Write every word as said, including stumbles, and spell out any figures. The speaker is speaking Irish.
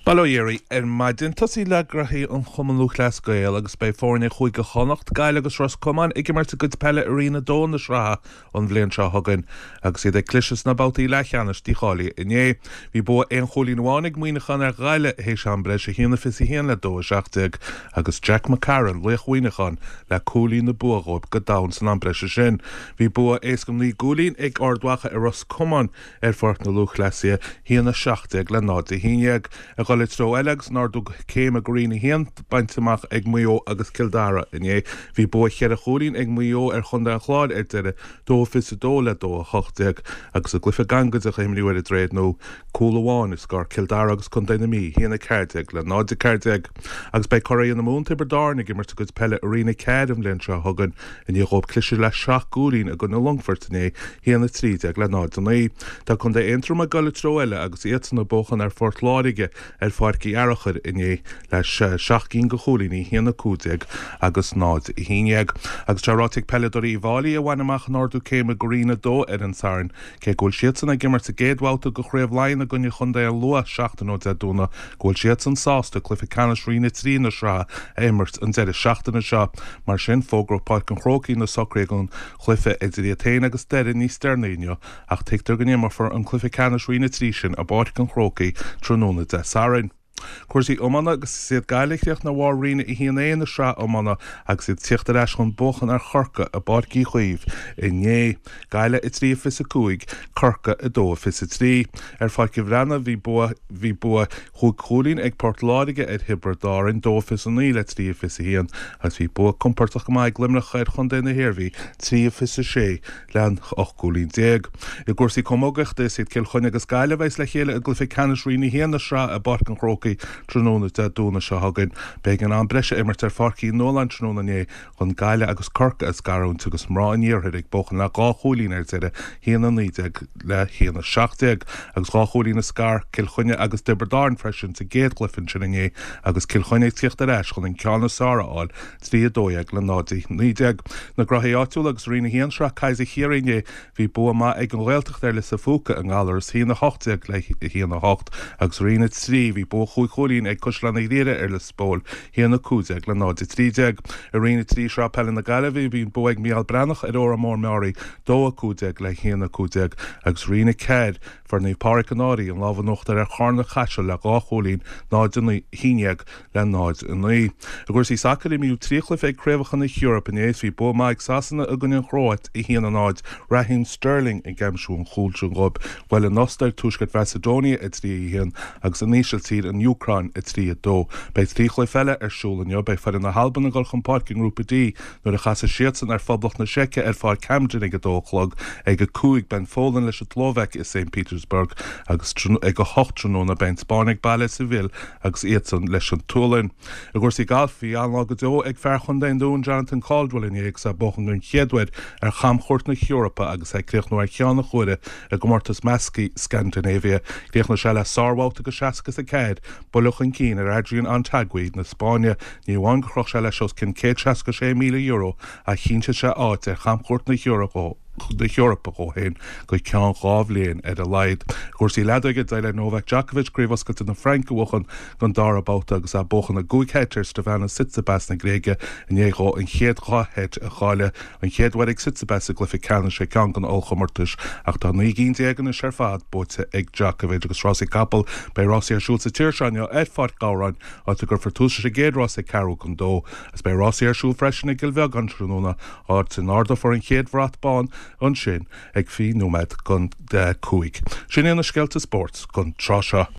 Bail ó Dhia oraibh ar maidin. Tosaí le graithí an Chumann Lúthchleas Gael agus beidh foirne Chúige Chonnacht, Gaillimh agus Ros Comáin ag imirt a gcuid peile i Roinn a dó na sraithe an bhliain seo chugainn agus iad ag cliseadh sna babhtaí leathcheannais dícháilithe inné. Bhí bua aon chúilín amháin ag Muineachán ar Ghaillimh théis am breise a haon a fiche a haon le dó a seacht déag agus Jack McCarron, laoch Mhuineacháin, le cúilín na bua dhóibh go domhain san am breise sin. Bhí bua éasca naoi gcúilín ag Ard Mhacha ar Ros Comáin ar Pháirc na Lúthchleasaithe, a haon a seacht déag le náid a haon dhéag. Ag dul i dtreo eile agus an ardú céime go Roinn a haon bainte amach ag Maigh Eo agus Cill Dara inné. Bhí bua cheithre chúilín ag Maigh Eo ar Chontae an Chláir ar deireadh, dó fiche a dó le dó a hocht déag, agus i gcluiche gangaideach a imríodh ar an Droichead Nua, cúl amháin a scar Cill Dara agus Contae na Mí, a haon a ceathair déag le náid a ceathair déag. Agus beidh curaidh na Mumhan Tiobraid Árann ag imirt a gcuid peile i Roinn a ceathair an bhliain seo chugainn i ndiaidh dhóibh cliseadh le seacht gcúilín i gcoinne Longfoirt inné, a haon a trí déag le náid a naoi. Tá Contae Aontroim ag dul i dtreo eile agus iadsan ag buachan ar Phort Láirge ar Pháirc Uí Fhearachair inné le seacht gcinn de chúilíní, a haon a cúig déag agus náid a haon dhéag. Agus tá ráite ag peileadóirí Uíbh Fhailí a bhain amach an ardú céime go Roinn a dó ar an Satharn, cé go bhfuil siadsan ag imirt sa gcéad bhabhta de Chraobh Laighean i gcoinne Chontae an Lú seachtain ó Dé Domhnaigh, go bhfuil siadsan sásta cluiche ceannais Roinn a trí na sraithe a imirt an deireadh seachtaine seo. Mar sin, fógróidh Páirc an Chrócaigh na socruithe don chluiche idir iad féin agus Doire níos deireanaí inniu, ach tuigtear go n-imeofar an cluiche ceannais Roinn a trí sin i bPáirc an Chrócaigh tráthnóna Dé Sathairn. Cúrsaí iomána agus is iad Gaillimh a chríochnaigh ar bharr Roinn a haon A na sraithe iomána agus iad ag tíocht ar ais chun buachan ar Chorcaigh i bPáirc Uí Chaoimh inné. Gaillimh a trí a fiche a cúig, Corcaigh a dó a fiche a trí. Ar Pháirc an Bhreathnaigh bhí bua bhí bua chúig chúilín ag Port Láirge ar Thiobraid Árann, dó a fiche a naoi le trí a fiche a haon, agus bhí bua compordach go maith ag Luimneach ar Chontae na hIarmhí, trí a fiche a sé le ocht gcúilín déag. I gcúrsaí camógaíochta is iad Cill Chainnigh agus Gaillimh a bheas le chéile i gcluiche ceannais Roinn a haon na sraithe i bPáirc an Chrócaigh tráthnóna Dé Domhnaigh seo chugainn. B'éigean am breise a imirt ar Pháirc Uí Nualláin tráthnóna inné chun Gaillimh agus Corcaigh a scarúint agus mná an Iarthair ag buachan le dhá chúilín ar deireadh, a haon a naoi déag le haon a seacht déag, agus dhá chúilín a scar Cill Chainnigh agus Tiobraid Árann freisin sa gcéad chluiche ansin inné agus Cill Chainnigh ag tíocht ar ais chun an ceann is fearr a fháil, trí a dó dhéag le náid a naoi déag. Na graithí áitiúla agus Roinn a haon Sraith Kaiser Chiarraí inné, bhí bua maith ag an Ghaeltacht ar Lios a' Phúca i nGallaras, a haon a hocht déag le a haon a hocht, agus Roinn a trí, bhí bua chúig chúilín ag Caisleán an Ghriaire ar Lios Póil, a haon a cúig déag le náid a trí déag. I Roinn a trí Sraith Peile na Gaillimhe, bhí an bua ag Mícheál Breathnach ar Órán Mór Meáraí, dó a cúig déag le haon a cúig déag, agus Roinn a ceathair, Fuair Naomh Pádraig an Fhairche an lámh in uachtar ar Charna Caiseal le dhá chúilín, náid a naoi, a haon déag le náid a naoi. I gcúrsaí sacair, imríodh trí chluiche ag Craobhacha na hEorpa inné is bhí bua maith ag Sasana i gcoinne an Chróit, a haon a náid, Raheem Sterling ag aimsiú an chúil sin dhóibh. Bhuail an Ostair Tuaisceart Mhacedonia a trí a haon agus an Ísiltír an Úcráin a trí a dó. Beidh trí chluiche eile ar siúl inniu. Beidh foireann na hAlban ag dul chun páirce i nGrúpa D nuair a chasfaidh siadsan ar Phoblacht na Seice ar Pháirc Hampden ag a dó a chlog. Ag a cúig, beidh an Pholainn leis an tSlóvaic i Saint Petersburg agus ag a hocht tráthnóna beidh an Spáinn ag baile i Seville agus iadsan leis an tSualainn. I gcúrsaí gailf, bhí an-lá go deo ag fear Chontae an Dúin, Jonathan Caldwell inné agus é ag buachan den chéad uair ar chamchuairt na hEorpa agus é ag críochnú ar cheann an chuaire i gcomórtas measctha Scandinavia. Chríochnaigh sé le sárbhabhta de seasca is a ceathair, buille chun cinn ar Adrian Otaegui na Spáinne. Ní amháin gur chroch sé leis os cionn céad seasca sé míle euro ach chinntigh sé áit ar chamchuairt na hEorpa dhó féin go ceann dhá bhliain ar a laghad. I gcúrsaí leadóige, d'éirigh le Novak Djokovic Craobh Oscailte na Fraince a bhuachan don dara babhta agus é ag buachan i gcúig sheit ar Stefanos Tsitsipas na Gréige i ndiaidh dhó an chéad dhá sheit a chailleadh, an chéad uair ag Tsitsipas i gcluiche ceannais ar cheann de na ollchomórtais ach tá naoi gcinn déag anois ar fad buaite ag Djokovic. Agus rásaí capall, beidh rásaí ar siúl sa tír seo inniu ar Pháirc Ghabhráin, áit a gcuirfear tús leis an gcéad rás ag ceathrú don dó. Agus beidh rásaí ar siúl freisin i gCill Bheagáin tráthnóna, áit a n-ardófar an chéad bhrat bán ansin ag fiche nóiméad don cúig. Sin iad na scéalta spóirt don tráth seo.